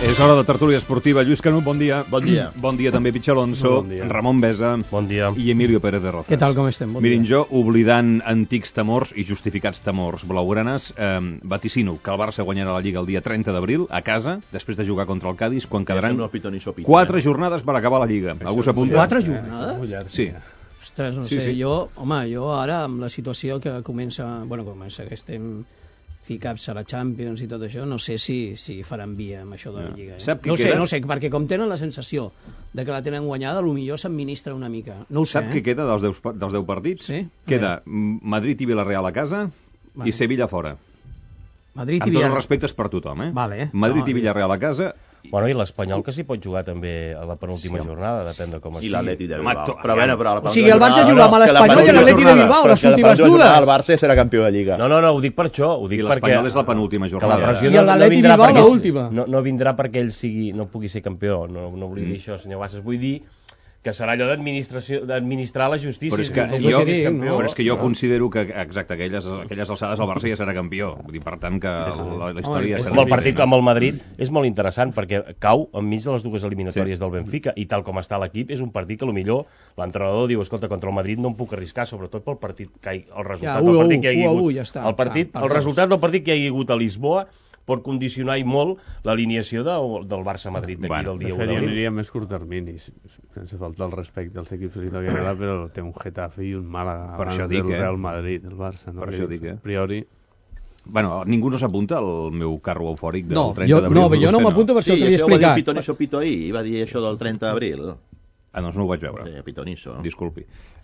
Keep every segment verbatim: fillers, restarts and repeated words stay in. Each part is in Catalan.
És hora de tertúlia esportiva. Lluís Canut, bon dia. Bon dia. Bon dia també Pitxer Alonso, bon dia. Ramon Besa bon dia. i Emilio Pérez de Rozas. Què tal, com estem? Bon Mirin, dia. jo, oblidant antics temors i justificats temors blaugranes, eh, vaticino que el Barça guanyarà la Lliga el dia trenta d'abril a casa, després de jugar contra el Cádiz, quan quedaran quatre jornades per acabar la Lliga. Algú s'apunta? Quatre jornades? Sí. Ostres, no Sí, sé, sí. jo, home, jo ara amb la situació que comença, bueno, comença que estem ficats a la Champions i tot això, no sé si, si faran via amb això de la No. Lliga. Eh? Sap qui No sé, queda? no sé, perquè com tenen la sensació de que la tenen guanyada, potser s'administra una mica. No ho sé, Sap eh? què queda dels deu, dels deu partits? Sí? Queda mm, Madrid i Villarreal a casa Vale. i Sevilla fora. Madrid i Amb tots els Villarreal. respectes per tothom, eh? Vale. Madrid No, i Villarreal a casa. Bueno, i l'Espanyol que s'hi pot jugar també a la penúltima Sí, jornada, depèn de com es... I l'Atleti de Home, Bilbao. to- Però bueno, però la O sigui, el Barça no, juga amb no, l'Espanyol que i penúltima l'Atleti de jornada, Bilbao, però les que la últimes penúltima jornada dues. El Barça serà campió de Lliga. No, no, no, ho dic per això, ho dic I perquè... l'Espanyol és la penúltima que la jornada. pressió I l'Atleti vindrà Bilbao perquè- l'última. No, no vindrà perquè ell sigui, no pugui ser campió, no, no vull dir Mm. això, senyor Bassas, vull dir que serà allò d'administració d'administrar la justícia. Però és que, no jo, vull dir que és campió, però és que jo no? considero que, exacte, aquelles, aquelles alçades el Barça ja serà campió. Vull dir, per tant, que Sí, sí. la, la història... Home, serà Com el partit diferent. amb el Madrid és molt interessant perquè cau enmig de les dues eliminatòries del Benfica i tal com està l'equip és un partit que potser l'entrenador diu, escolta, contra el Madrid no em puc arriscar, sobretot pel partit que hi, el resultat Ja, del u a partit u, que hi hagi u a u, hagut ja està. el, partit, Ah, per el dos. resultat del partit que hi ha hagut a Lisboa pot condicionar i molt l'alineació de, del Barça-Madrid d'aquí Bueno, del dia De u fet, jo d'abril. aniria a més curt termini, sense faltar el respecte als equips que li toqui agradar, però té un Getafe i un Màlaga Per abans això dic, del eh? Real Madrid, el Barça. No? Per això dic, eh? A priori... Bueno, ningú no s'apunta al meu carro eufòric del No, trenta jo, d'abril. no, jo no Vostè m'apunto per això Sí, que li he això ho va dir el explicat. Pitoniso Pito ahir, i va dir això del trenta d'abril. Ah, doncs no ho vaig veure. Eh, Pitoniso. Disculpi.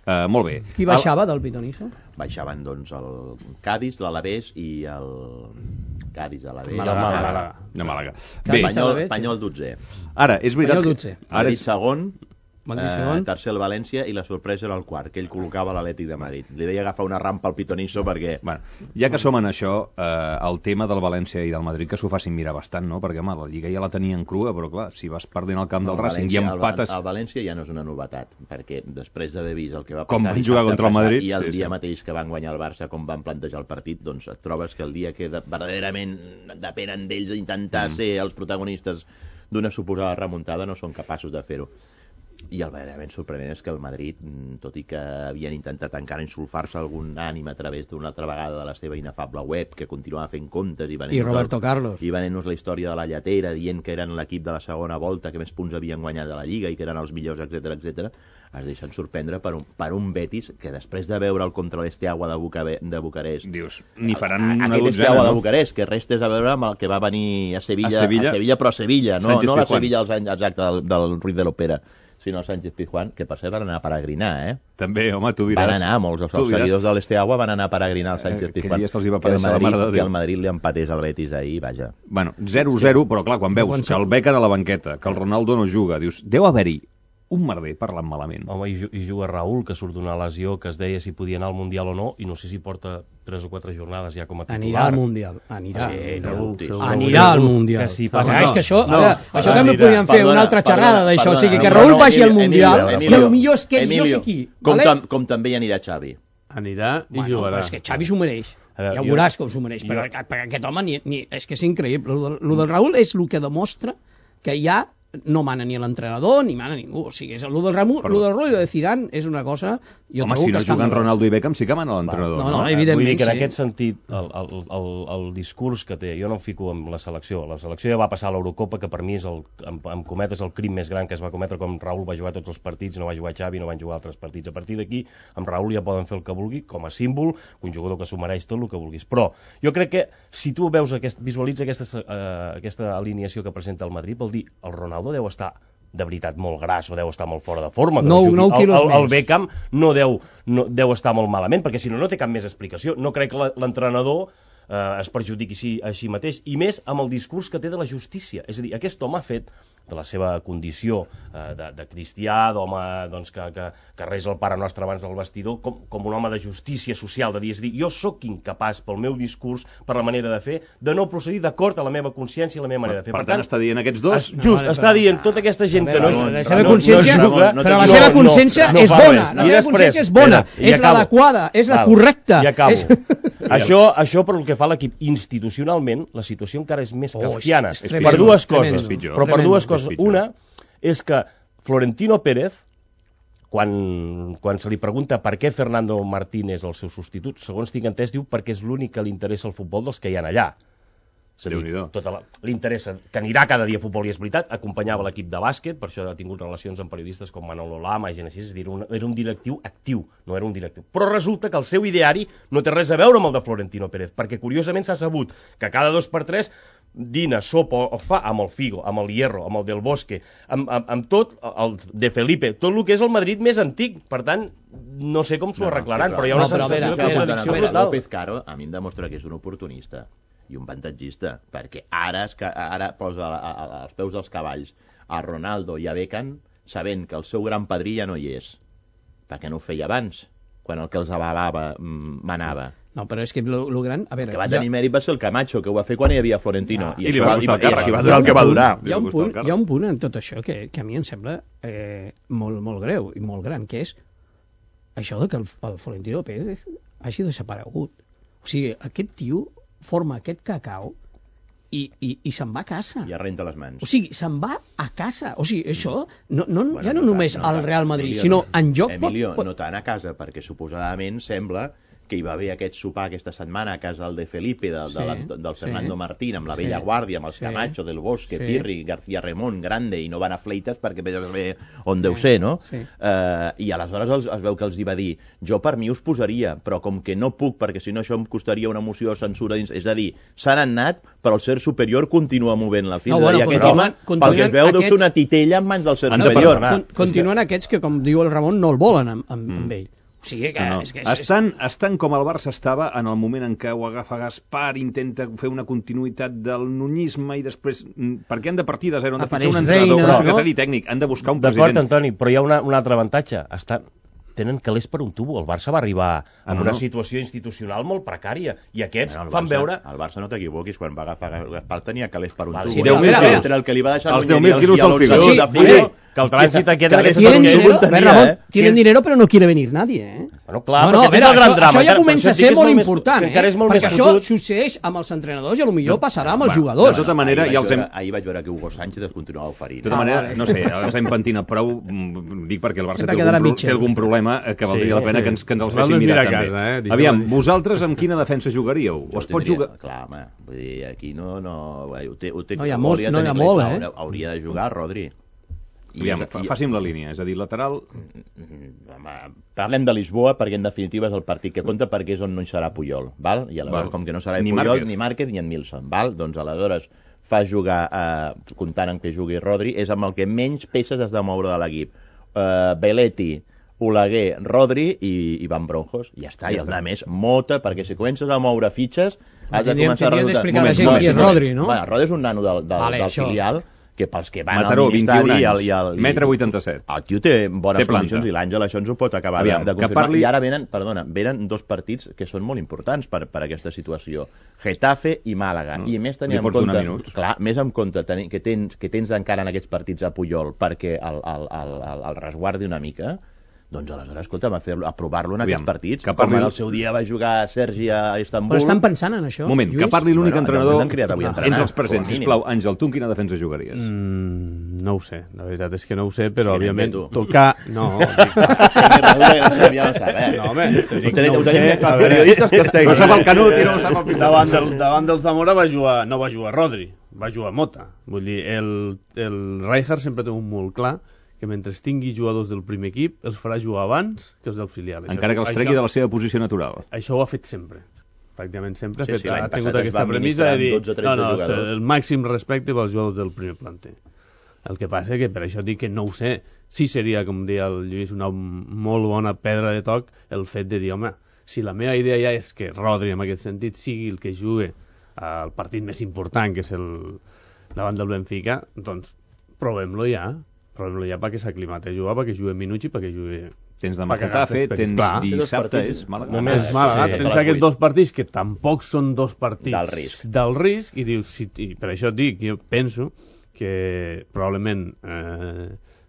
Uh, molt bé. Qui baixava del Pitoniso? Baixaven, doncs, el Cádiz, l'Alavés i el... Cádiz, l'Alavés... Màlaga, Màlaga. Màlaga. De Màlaga. Cádiz, Bé, Espanyol- Espanyol, Espanyol dotzè. ara, és veritat... Espanyol que- dotze. Ara Madrid és... segon, Madrid eh, segon. tercer el València i la sorpresa era el quart, que ell col·locava l'Atlètic de Madrid. Li deia agafar una rampa al Pitoniso perquè... Bueno, ja que som en això, eh, el tema del València i del Madrid, que s'ho facin mirar bastant, no? Perquè, home, la Lliga ja la tenien crua, però, clar, si vas perdent el camp del el Racing i València- empates... El, el València ja no és una novetat, perquè després d'haver vist el que va passar... Com van dissabte jugar contra el passat Madrid, I el sí, dia sí. mateix que van guanyar el Barça, com van plantejar el partit, doncs et trobes que el dia que de, verdaderament depenen d'ells intentar mm. ser els protagonistes d'una suposada remuntada, no són capaços de fer-ho. I el verdaderament sorprenent és que el Madrid, tot i que havien intentat encara insulfar-se algun ànim a través d'una altra vegada de la seva inefable web, que continuava fent comptes i venent I Roberto Carlos. i venent-nos la història de la lletera, dient que eren l'equip de la segona volta que més punts havien guanyat de la Lliga i que eren els millors, etcètera, etcètera, es deixen sorprendre per un, per un Betis que després de veure el contra l'Esteaua de, Bucabe, de Bucarest, Dius, n'hi faran una aquest dotzena, Esteaua de no? Bucarest, que res té a veure amb el que va venir a Sevilla, A Sevilla? a Sevilla però a Sevilla, no, Sánchez no la Pizjuán. Sevilla als anys exacte del, del Ruiz de l'Opera, sinó Sánchez Pizjuán, que per cert van anar a peregrinar, eh? També, home, tu diràs... Van anar, molts dels tu diràs seguidors de l'Esteaua van anar a peregrinar al Sánchez Eh, aquell Pizjuán. dia se'ls hi va que el aparèixer la Madrid, mare de que Déu. el Madrid li empatés al Betis ahir, vaja. Bueno, zero zero, però clar, quan veus que el Becken a la banqueta, que el Ronaldo no juga, dius, deu haver-hi un merder parlant malament. Home, i, ju- i juga Raúl, que surt d'una lesió que es deia si podia anar al Mundial o no, i no sé si porta tres o quatre jornades ja com a titular. Anirà al Mundial. Anirà. Sí, no segur, dubtis. segur. Anirà al Mundial. Que sí, Però passa- és que això, no, ara, això no, també anirà. podríem fer Perdona, una altra perdona, xerrada d'això, o sigui, que perdona, Raúl no, vagi al Emilio, Mundial, Emilio, i el millor és que ell, jo Emilio, sé qui. Com, vale? tam, com també hi anirà Xavi. Anirà i Bueno, jugarà. però és que Xavi s'ho mereix. A veure, Ja jo- veuràs que s'ho mereix. jo- Però, però aquest home, ni, ni, és que és increïble. Lo, de- lo del Raúl és el que demostra que ja no mana ni l'entrenador ni mana ningú. O sigui, és el del Raúl, Però- lo del Raúl i de Zidane és una cosa... Jo Home, trobo si no que escandalosa. juguen Ronaldo i Beckham, sí que mana l'entrenador, no, no? no, Eh, evidentment, Vull dir que en sí. aquest sentit el, el, el, el discurs que té, jo no em fico amb la selecció, la selecció ja va passar a l'Eurocopa, que per mi és el, amb, amb cometes el crim més gran que es va cometre, com Raúl va jugar tots els partits, no va jugar Xavi, no van jugar altres partits. A partir d'aquí, amb Raúl ja poden fer el que vulgui, com a símbol, un jugador que s'ho mereix tot el que vulguis. Però jo crec que si tu veus aquest, visualitza aquesta, uh, aquesta alineació que presenta el Madrid, vol dir, el Ronaldo deu estar de veritat molt gras o deu estar molt fora de forma. Que Nou- no jugui. nou quilos el, el, el més. Beckham no deu, no, deu estar molt malament, perquè si no, no té cap més explicació. No crec que la- l'entrenador eh, es perjudiqui així, així mateix, i més amb el discurs que té de la justícia. És a dir, aquest home ha fet de la seva condició eh, de, de cristià, d'home doncs, que, que, que resa el Pare Nostre abans del vestidor, com, com un home de justícia social, de dir, és a dir, jo sóc incapaç pel meu discurs, per la manera de fer, de no procedir d'acord a la meva consciència i la meva manera de fer. Per tant, està dient aquests dos... es, just, No, està dient tota aquesta gent A que no... veure, no- la seva no- no consciència- juga, no- però la no- seva no- consciència no és fa bona, res. la I seva després, consciència és bona, espera, i és acabo. l'adequada, és la Val, correcta. I acabo. És... això, això per el que fa a l'equip institucionalment, la situació encara és més oh, kafkiana. És, és per dues coses. Tremendo, però per dues coses. és Una és que Florentino Pérez, quan, quan se li pregunta per què Fernando Martín és el seu substitut, segons tinc entès, diu perquè és l'únic que li interessa el futbol dels que hi ha allà. És a dir, tota la, li interessa, que anirà cada dia a futbol, i és veritat, acompanyava l'equip de bàsquet, per això ha tingut relacions amb periodistes com Manolo Lama i gent així, és a dir, un, era un directiu actiu, no era un directiu. Però resulta que el seu ideari no té res a veure amb el de Florentino Pérez, perquè curiosament s'ha sabut que cada dos per tres dina, sopa o fa amb el Figo, amb el Hierro, amb el Del Bosque, amb, amb, amb tot, el de Felipe, tot el que és el Madrid més antic. Per tant, no sé com s'ho no, arreglaran, sí, però, però hi ha una no, sensació de contradicció brutal. López Caro a mi em demostra que és un oportunista i un avantatgista, perquè ara, es, ara posa a, a, a, als peus dels cavalls a Ronaldo i a Beckham, sabent que el seu gran padrí ja no hi és, perquè no ho feia abans, quan el que els avalava manava. No, però és que lo, lo gran... A veure, el que va tenir ja... mèrit va ser el Camacho, que ho va fer quan hi havia Florentino. Ah, I, i, li va, va, i, i va durar el que va durar. Hi ha un punt, hi ha un punt en tot això que, que a mi em sembla eh, molt, molt greu i molt gran, que és això de que el, el Florentino Pérez hagi desaparegut. O sigui, aquest tio forma aquest cacau i, i, i se'n va a casa. I arrenta les mans. O sigui, se'n va a casa. O sigui, això no, no, bueno, ja no, no només tant, no al tant. Real Madrid, Emilio, sinó no. en joc... Emilio, pot, pot... no tant a casa, perquè suposadament sembla que hi va haver aquest sopar aquesta setmana a casa del de Felipe, de, sí, de la, del Fernando sí, Martín, amb la vella sí, guàrdia, amb els sí, Camacho, Del Bosque, sí, Pirri, García Remón, Grande, i no van a fleites perquè vés a saber on sí, deu ser, no? Sí. Uh, I aleshores els, es veu que els hi va dir, jo per mi us posaria, però com que no puc, perquè si no això em costaria una moció de censura dins... És a dir, s'han anat, però el ser superior continua movent-la fins. No, bueno, a dir, aquest home, pel que es veu, aquests... deu ser una titella en mans del ser superior. Con, continuen que... aquests que, com diu el Ramon, no el volen amb, amb, mm. amb ell. O sigui que, no, no. És que és, estan, estan com el Barça estava en el moment en què ho agafa Gaspar, intenta fer una continuïtat del nunyisme i després, per què han de partir de zero? Han de fitxar un entrenador, un secretari no? tècnic, han de buscar un president. D'acord, Antoni, però hi ha una, un altre avantatge. Estan... tenen calés per un tubo. El Barça va arribar en no, una no. situació institucional molt precària i aquests bueno, fan Barça, veure... El Barça no t'equivoquis, quan va agafar Gaspar tenia calés per un vale, tubo. Sí, deu mil entre el que li va deixar els deu mil quilos del Figo. Sí, sí, que el trànsit aquest... Tienen dinero, tenia, Ramon, eh? tienen dinero però no quiere venir nadie, eh? Bueno, clar, no, no, perquè veure, és el gran això, drama. Això ja comença a ser molt important, eh? Perquè això fotut. succeeix amb els entrenadors i potser passarà amb els jugadors. De tota manera, ahir, ja els hem... veure, ahir vaig veure que Hugo Sánchez es continuava oferint. De tota manera, no sé, els hem pentinat prou, dic perquè el Barça té algun, té algun problema que valdria la pena que ens, que ens els fessin mirar també. Aviam, vosaltres amb quina defensa jugaríeu? O es pot jugar... Clar, home, vull dir, aquí no... No hi ha molt, no hi ha molt, eh? Hauria de jugar Rodri. Aviam, fàcim la línia, és a dir, lateral... Parlem de Lisboa perquè en definitiva és el partit que compta perquè és on no hi serà Puyol, val? I aleshores, com que no serà ni Puyol, Márquez. ni Márquez ni en Milson, val? Doncs aleshores fa jugar, eh, comptant amb que jugui Rodri, és amb el que menys peces has de moure de l'equip. Eh, Belletti, Oleguer, Rodri i, i Van Bronjos. Ja està, ja i el de més, mota, perquè si comences a moure fitxes has de començar a resultar... d'explicar a la gent qui és Rodri, no? Bueno, Rodri és un nano del, del, vale, del filial, que pels que van Mataró, al ministeri... vint i un anys, i el, i el, metre vuitanta-set. El tio té bones té condicions i l'Àngel això ens ho pot acabar Aviam, de, de confirmar. Parli... I ara venen, perdona, venen dos partits que són molt importants per, per aquesta situació. Getafe i Màlaga. No, I més tenint en compte... Clar, més en compte tenir, que tens, que tens encara en aquests partits a Puyol perquè el, el, el, el, el resguardi una mica... Doncs aleshores, escolta'm, a, a provar-lo en Aviam, aquests partits. Que parli... Com el seu dia va jugar Sergi a Istanbul... Però estan pensant en això, Moment, Lluís? Que parli l'únic bueno, entrenador ah, entre els presents. Sisplau, Àngel, tu en quina defensa jugaries? Mm, no ho sé, la veritat és que no ho sé, però sí, òbviament tocar... No, no, home, ho tenim periodistes que estan... No sap el Canut i no sap el pitjor. Davant, del, davant del Zamora va jugar, no va jugar Rodri, va jugar Mota. Vull dir, el, el Rijkaard sempre té un molt clar que mentre tingui jugadors del primer equip els farà jugar abans que els del filial. Encara això, que els tregui això, de la seva posició natural. Això ho ha fet sempre. Pràcticament sempre sí, ha, fet, sí, ha tingut aquesta premissa de dir no, no, el màxim respecte pels jugadors del primer planter. El que passa és que per això dic que no ho sé. Sí seria, com deia el Lluís, una molt bona pedra de toc el fet de dir, home, si la meva idea ja és que Rodri en aquest sentit sigui el que jugui al partit més important, que és el davant del Benfica, doncs provem-lo ja. Però ja perquè s'aclimata a jugar, perquè jugui minuts i perquè jugui... Tens demà Getafe, tens clar. Dissabte, és Màlaga. Només Màlaga, sí, tens aquests dos partits que tampoc són dos partits del risc, del risc i dius, si, i per això et dic, jo penso que probablement eh,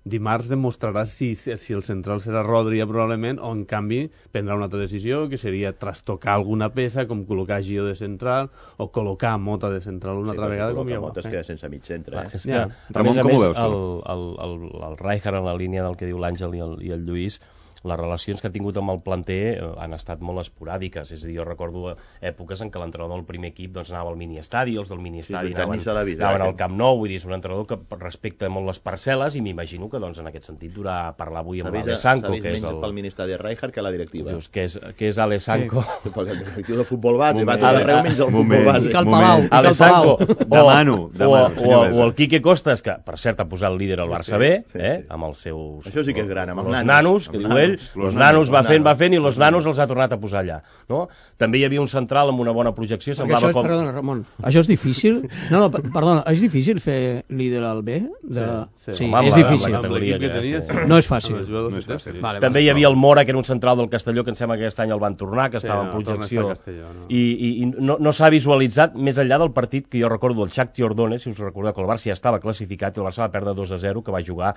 dimarts demostrarà si, si el central serà Rodri probablement, o en canvi prendrà una altra decisió, que seria trastocar alguna peça, com col·locar Gio de central o col·locar Mota de central una sí, altra vegada. Com ja Mota es queda sense mig centre. Clar, Eh? és que, ja. a Ramon, més a com més, ho veus, tu? el, el, el, el Rijkaard, en la línia del que diu l'Àngel i, el, i el Lluís, les relacions que ha tingut amb el planter eh, han estat molt esporàdiques. És a dir, jo recordo èpoques en què l'entrenador del primer equip doncs, anava al mini-estadi, els del mini-estadi Sí, anaven, de la vida, anaven eh? al Camp Nou. Vull dir, és un entrenador que respecta molt les parcel·les, i m'imagino que doncs, en aquest sentit durà a parlar avui amb l'Ale Sanko, que és el... pel mini-estadi de Rijkaard que la directiva. Dius, que és, que és Ale Sanko. Sí. Perquè el directiu de futbol base va Moment. tot arreu menys el futbol base. I cal Palau. Ale Sanko. Demano, demano, o, o, o el Quique Costas, que per cert ha posat el líder al Barça Sí, B, sí, eh, sí. amb els seus... Això sí que és gran, amb els los nanos. nanos, que Amb diu nanos. ell, Los los nanos, nanos va los fent, va nanos. fent, i los nanos els ha tornat a posar allà. No? També hi havia un central amb una bona projecció, Perquè semblava això és, com... perdona, Ramon, això és difícil? No, no, per- perdona, és difícil fer líder al B? De... Sí, sí. sí, Home, amb és la- difícil. amb la Amb l'equip que categoria tenia, que sí. No és fàcil. Amb els jugadors No és que té, fàcil. sí. Vale, També hi havia el Mora, que era un central del Castelló, que em sembla que aquest any el van tornar, que Sí, estava no, en torna a projecció, estar a Castelló, no. i, i, i no, no s'ha visualitzat més enllà del partit que jo recordo, el Shakhtar Donetsk, si us recordeu, que el Barça ja estava classificat i el Barça va perdre dos a zero, que va jugar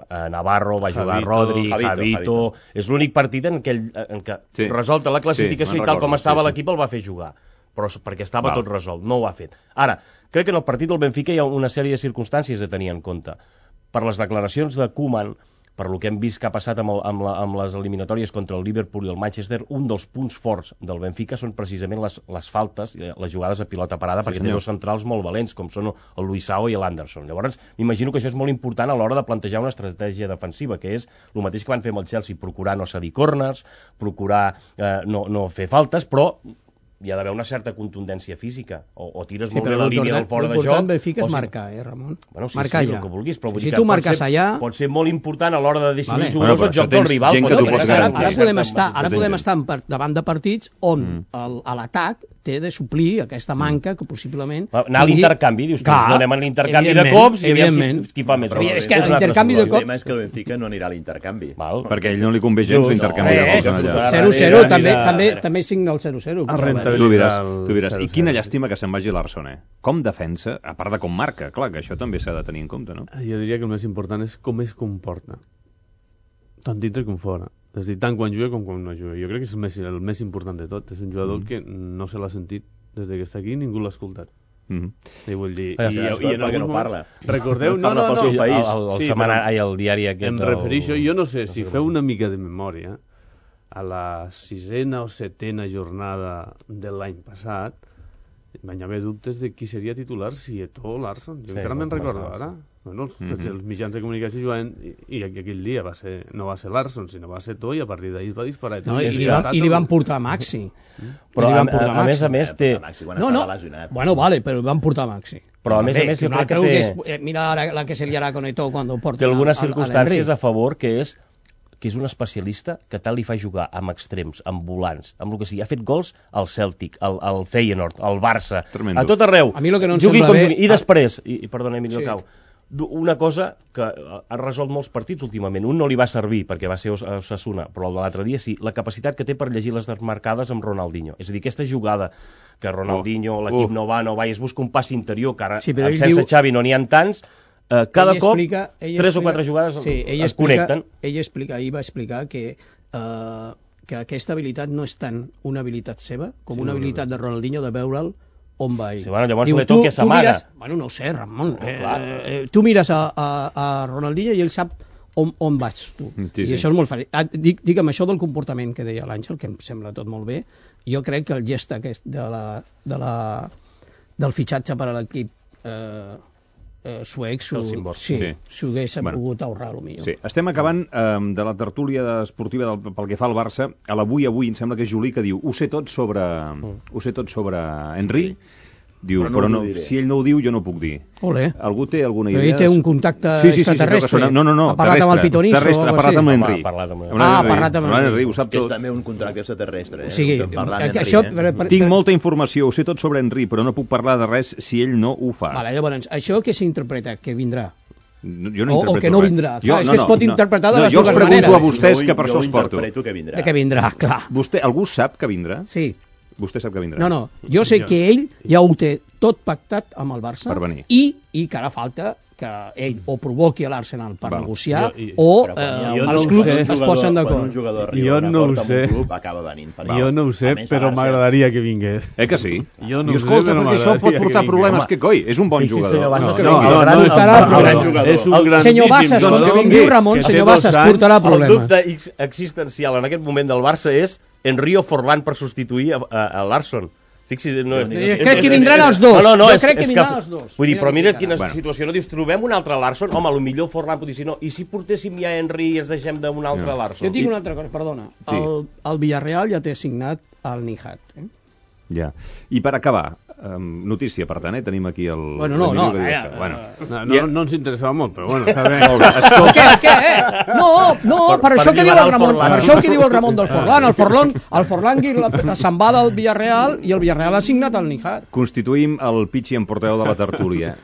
eh, Navarro, va jugar Javito, Rodri, Javito, Javito, Javito. és l'únic partit en què, ell- en què Sí. resolta la classificació Sí, i tal me'n com recordo, estava sí, sí. l'equip el va fer jugar, però s- perquè estava Val. tot resolt, no ho ha fet. Ara, crec que en el partit del Benfica hi ha una sèrie de circumstàncies a tenir en compte. Per les declaracions de Koeman, per lo que hem vist que ha passat amb, el, amb, la, amb les eliminatòries contra el Liverpool i el Manchester, un dels punts forts del Benfica són precisament les, les faltes, eh, les jugades a pilota parada, Sí, perquè senyor. té dos centrals molt valents, com són el Luisao i l'Anderson. Llavors, m'imagino que això és molt important a l'hora de plantejar una estratègia defensiva, que és el mateix que van fer amb el Chelsea, procurar no cedir corners, procurar eh, no, no fer faltes, però hi ha d'haver una certa contundència física, o, o tires Sí, molt bé però la línia del fora de joc, l'important Benfica o és si- marcar, eh, Ramon? Bueno, sí, marcar sí, ja. el que vulguis, però vull Si dir tu que marques pot ser, allà... pot ser molt important a l'hora de decidir Vale. els jugadors Bueno, el però joc del tens rival. gent pot que t'ho tenir pots certa- ara, garantir. ara podem certa estar, ara Tens podem gent. estar en par- davant de partits on Mm. el- a l'atac té de suplir aquesta manca que possiblement... Va, anar a pugui- l'intercanvi, dius, Clar, no anem a l'intercanvi de evidentment, cops i aviam evidentment. si, qui fa més. Però gols. és que un altre l'intercanvi de suport. El tema és que el Benfica no anirà a l'intercanvi. Val. Perquè a ell no li convé gens Just, l'intercanvi no, de gols eh, en allà. zero zero, també, anirà- també, també signa el zero zero. A rentabilitzar Tu diràs, el tu diràs. I zero quina zero. llàstima que se'n vagi l'Arson, eh? Com defensa, a part de com marca, clar, que això també s'ha de tenir en compte, no? Jo diria que el més important és com es comporta, tant dintre com fora. És a dir, tant quan juga com quan no juga. Jo crec que és el més, el més important de tot. És un jugador Mm. que no se l'ha sentit des que està aquí, ningú l'ha escoltat. Mm -hmm. I vull dir... Ah, i, sí, i, escolta, en perquè algun no moment- parla. Recordeu... No parla pel no, seu no, país. El, el, el, Sí, setmana, però ai, el diari aquest... em el- refereixo, jo no sé, si no sé feu com una mica de memòria, a la sisena o setena jornada de l'any passat, van haver dubtes de qui seria titular, si Eto'o o Larsson. Jo Sí, encara me'n com recordo estava, ara. Bueno, els, Mhm. tots els mitjans de comunicació jugant, i, i aquell dia va ser, no va ser Larsson, sinó va ser Eto'o, i a partir d'ahir es va disparar Eto'o. No, i, és li que van, ha I li van estat- portar Maxi. Però I li a, van portar a, a més a Maxi. més té... Maxi, quan No, no, estava lesionat. bueno, vale, però van portar Maxi. Però a més a Bé, més que jo un crec que altre té, és, eh, mira ara la que se liarà con Eto'o quan ho porten té algunes al- al- a circumstàncies l'Henry. a favor, que és que és un especialista que tal li fa jugar amb extrems, amb volants, amb el que sigui. Ha fet gols al Celtic, al, al Feyenoord, al Barça, Tremendo. a tot arreu. A mi lo que no em Jugui sembla com bé- jugui. I després, i, i perdona, Emilio Sí. Cau, du- una cosa que ha resolt molts partits últimament. Un no li va servir perquè va ser Os- Osasuna, però el de l'altre dia sí, la capacitat que té per llegir les desmarcades amb Ronaldinho. És a dir, aquesta jugada que Ronaldinho, Oh, l'equip oh. no va, no va, i es busca un pas interior, que ara Sí, però amb ell sense diu- Xavi no n'hi ha tants, eh, cada Ell cop explica- ell tres o explica- quatre jugades sí, ell es explica, connecten. Ell explica, ahir va explicar que, eh, que aquesta habilitat no és tant una habilitat seva com Sí, una no, no, habilitat de Ronaldinho de veure'l on va ell. Sí, bueno, llavors Diu, l'Eto'o tu- que tu s'amaga. mires- Bueno, no ho sé, Ramon. No, eh, clar. eh, tu mires a, a, a Ronaldinho i ell sap on, on vaig tu. Sí, I sí. això és molt fàcil. Ah, dic, dic amb això del comportament que deia l'Àngel, que em sembla tot molt bé, jo crec que el gest aquest de la, de la, del fitxatge per a l'equip eh, eh, suec s'ho El Simbor. sí, Sí. s'ho hagués Bueno. pogut ahorrar, potser. Sí, estem acabant eh, de la tertúlia esportiva del, pel que fa al Barça. A l'avui avui em sembla que és Juli que diu ho sé tot sobre, ho sé tot sobre Henry. Diu, Però però no no, us ho diré. si ell no ho diu, jo no ho puc dir. Ole. Algú té alguna Però idea? ell té un contacte sí, sí, sí, sí, extraterrestre. sí, no, no, no, Ha parlat amb el terrestre, Pitoniso o terrestre, ha algo parlat així. amb Home, l'Henry. ha parlat amb- Amb Ah, l'Henry. ha parlat amb l'Henry, l'Henry. ho sap Que és tot. també un contracte extraterrestre, eh? O sigui, Estem parlant que, que d'Henry, això... eh? Per, per, Tinc molta informació, ho sé tot sobre Henry, però no puc parlar de res si ell no ho fa. Vale, llavors, això què s'interpreta? Que vindrà? No, jo no O- o interpreto que no res. vindrà. Jo, Clar, és que es pot interpretar de no, les jo dues us pregunto maneres. a vostès, Jo- que per jo això us porto. interpreto que vindrà. De que vindrà, clar. Vostè, algú sap que vindrà? Sí. Vostè sap que vindrà? No, no, jo sé Jo- que ell ja ho té tot pactat amb el Barça per venir. i, i que ara falta que ell o provoqui l'Arsenal per Val. negociar jo, i, o eh, els no clubs sé. es posen d'acord. Quan un jugador arriba Jo a un no ho acord amb sé. un club, acaba venint. Per jo no ho sé, però m'agradaria que vingués. Eh que sí? Jo no I ho sé, escolta, però perquè això pot m'agradaria portar que problemes, vingués. que coi, és un bon Fixi, jugador. senyor Bassas, No, que No, vingui. no, Gran- no, és portarà un problemes. jugador. És un El- grandíssim Senyor Bassas, jugador. doncs que vingui Ramon, que té senyor dos Bassas, anys. portarà El problemes. dubte ex- existencial en aquest moment del Barça és Enrio Forlán per substituir a, a, a Larsson. Fixi, no, Jo crec que vindran els dos. No, no, Jo és, crec que és vindran els dos. Vull dir, però mira quina Bueno. situació. No dius, trobem un altre Larsson? Home, potser Forlán pot dir, si no, i si portéssim ja Henry i ens deixem d'un altre No. Larsson? Jo et dic una altra cosa, perdona. Sí. El, el Villarreal ja té signat el Nihat. Eh? Ja. I per acabar, um, notícia, per tant, eh? Tenim aquí el... Bueno, no, l'Emilio no, que diu eh, això. Bueno. No, no, Ja. no ens interessava molt, però bueno, està bé. Molt bé. Escolta, Què, què, eh? No, no, per, Per- això per que diu alliberar el el Ramon, Forlán. per això que diu el Ramon del Forlán. El Forlán, el Forlán la- se'n va del Villarreal i el Villarreal ha signat el Nihat. constituïm el pitxi en portaveu de la tertúlia.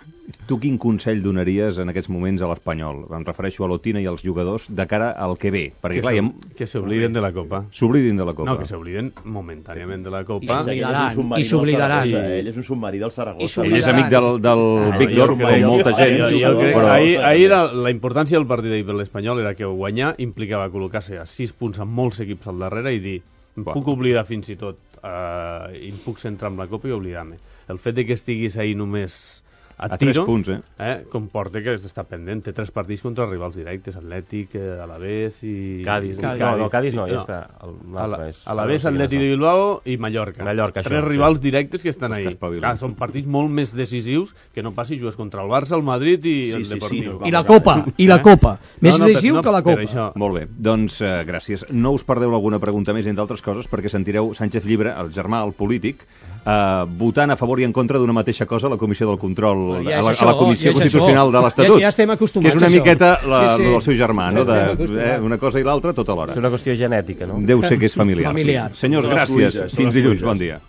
Tu quin consell donaries en aquests moments a l'Espanyol? Em refereixo a l'Otina i als jugadors de cara al que ve. Perquè, Que clar, hi s'ob- ha- que s'obliden de la Copa. s'oblidin de la Copa. No, que s'obliden momentàniament de la I Copa. s'oblidaran, i s'oblidaran. Ell és un submarí del Saragossa. I Ell és amic del, del Ah, Víctor, jo- com jo- molta jo- gent. Jo, jo jugador, crec, però... ahir, ahir la, la importància del partit d'ahir per l'Espanyol era que guanyar implicava col·locar-se a sis punts amb molts equips al darrere i dir, em Bueno. puc oblidar fins i tot, eh, i em puc centrar en la Copa i oblidar-me. El fet de que estiguis ahir només a, A tiro, tres punts, eh? eh, comporta que has d'estar pendent. Té tres partits contra rivals directes, Atlètic, eh, Alavés i... Cádiz. i No, no, Cádiz no, ja està. El- l'altre Ala- és- Alavés, no sé quin Atlètic de és. Bilbao i Mallorca. Mallorca, això, Tres sí. rivals directes que estan Els que ahí. espavilen. Clar, són partits molt més decisius que no passi jugues contra el Barça, el Madrid i Sí, el sí, sí, Deportiu. no, I la Copa, i la Copa. Més No, no, decisiu per- no, que la per Copa. això. Molt bé, doncs eh, gràcies. No us perdeu alguna pregunta més, entre altres coses, perquè sentireu Sánchez Llibre, el germà, el polític, eh, votant a favor i en contra d'una mateixa cosa a la Comissió del Control, Ja a, és la, això, a la Comissió ja és Constitucional això. de l'Estatut. Ja- ja estem acostumats Que és una a això. miqueta la, Sí, sí. del seu germà, no? Ja estem De, acostumats. eh, una cosa i l'altra tota És l'hora. una qüestió genètica, no? Deu ser que és familiar. Familiar. Sí. Senyors, Són les gràcies. pluges, són Fins les dilluns. pluges. Bon dia.